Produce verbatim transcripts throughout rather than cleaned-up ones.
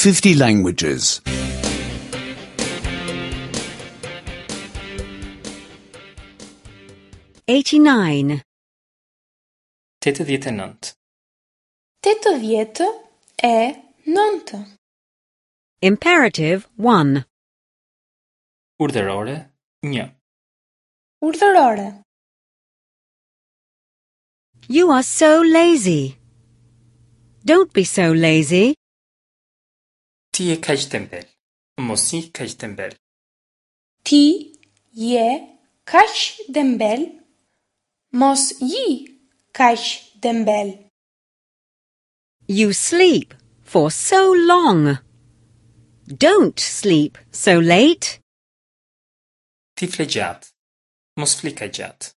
fifty languages. eighty-nine. Tetëdhjetë e nëntë. Tetëdhjetë e nëntë. Imperative one. Urdhërore një. Urdhërore. You are so lazy. Don't be so lazy. Ti je kaq tembel. Mos ji kaq tembel. Ti je kaq dembel. Mos ji kaq dembel. You sleep for so long. Don't sleep so late. Ti fle gjatë. Mos fli kaq gjatë.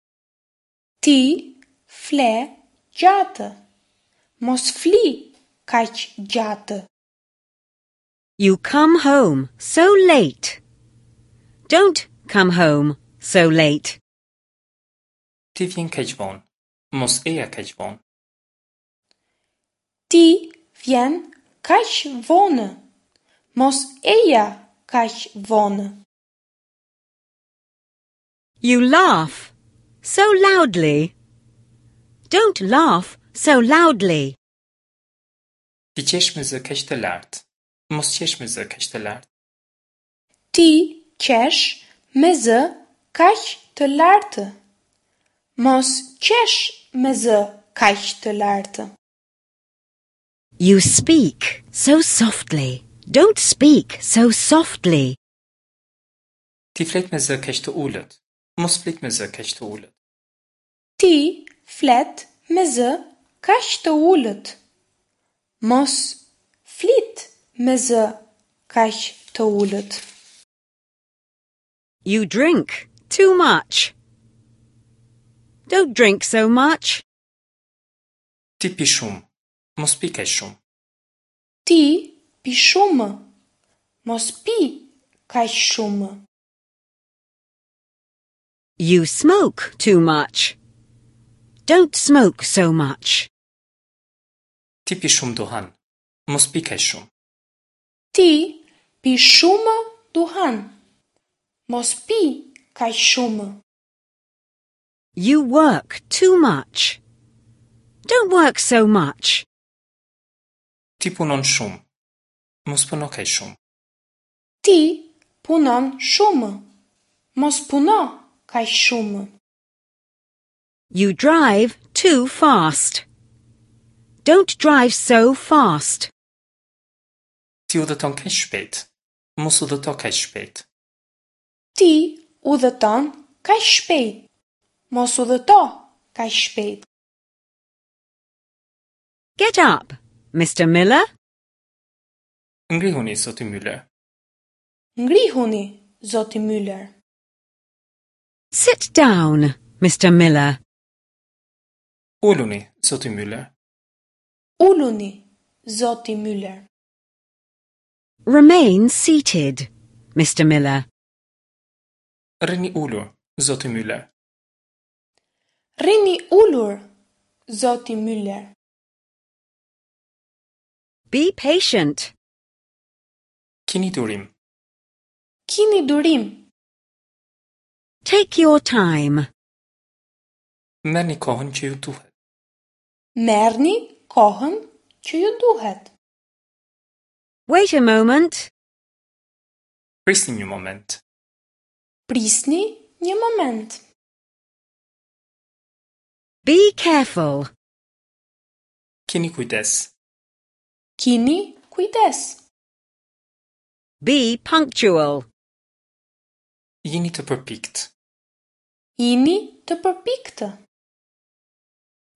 Ti fle gjatë. Mos fli kaq gjatë. You come home so late. Don't come home so late. Ti vjen kaq vonë. Mos eja kaq vonë. Ti vjen kaq vonë. Mos eja kaq vonë. You laugh so loudly. Don't laugh so loudly. Ti qesh me zë kaq të lartë. Mos qesh me zë kaq të lartë. Ti qesh me zë kaq të lartë. Mos qesh me zë kaq të lartë. You speak so softly. Don't speak so softly. Ti flet me zë kaq të ulët. Mos flit me zë kaq të ulët. Ti flet me zë kaq të ulët. Mos flit me zë kaq të ulët. You drink too much. Don't drink so much. Ti pi shumë. Mos pi kaq shumë. Ti pi shumë. Mos pi kaq shumë. You smoke too much. Don't smoke so much. Ti pi shumë duhan. Mos pi kaq shumë. Ti pi shumë duhan. Mos pi kaq shumë. You work too much. Don't work so much. Ti punon shumë. Mos puno kaq shumë. Ti punon shumë. Mos puno kaq shumë. You drive too fast. Don't drive so fast. Ti udhëton kaq shpejt. Mos udhëto kaq shpejt. Ti udhëton kaq shpejt. Mos udhëto kaq shpejt. Get up, Mister Miller. Ngrihuni, zoti Müller. Ngrihuni, zoti Müller. Sit down, Mister Miller. Uluni, zoti Müller. Uluni, zoti Müller. Remain seated, Mister Miller. Rrini ulur, zoti Müller. Rrini ulur, zoti Müller. Be patient. Kini durim. Kini durim. Take your time. Merrni kohën që ju duhet. Merrni kohën që ju duhet. Wait a moment. Prisni një moment. Prisni një moment. Be careful. Kini kujdes. Kini kujdes. Be punctual. Jini të përpikt. Jini të përpiktë.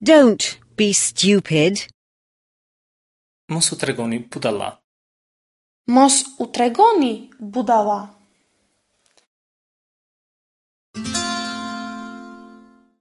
Don't be stupid. Mos u tregoni budalla. Mos u tregoni budalla.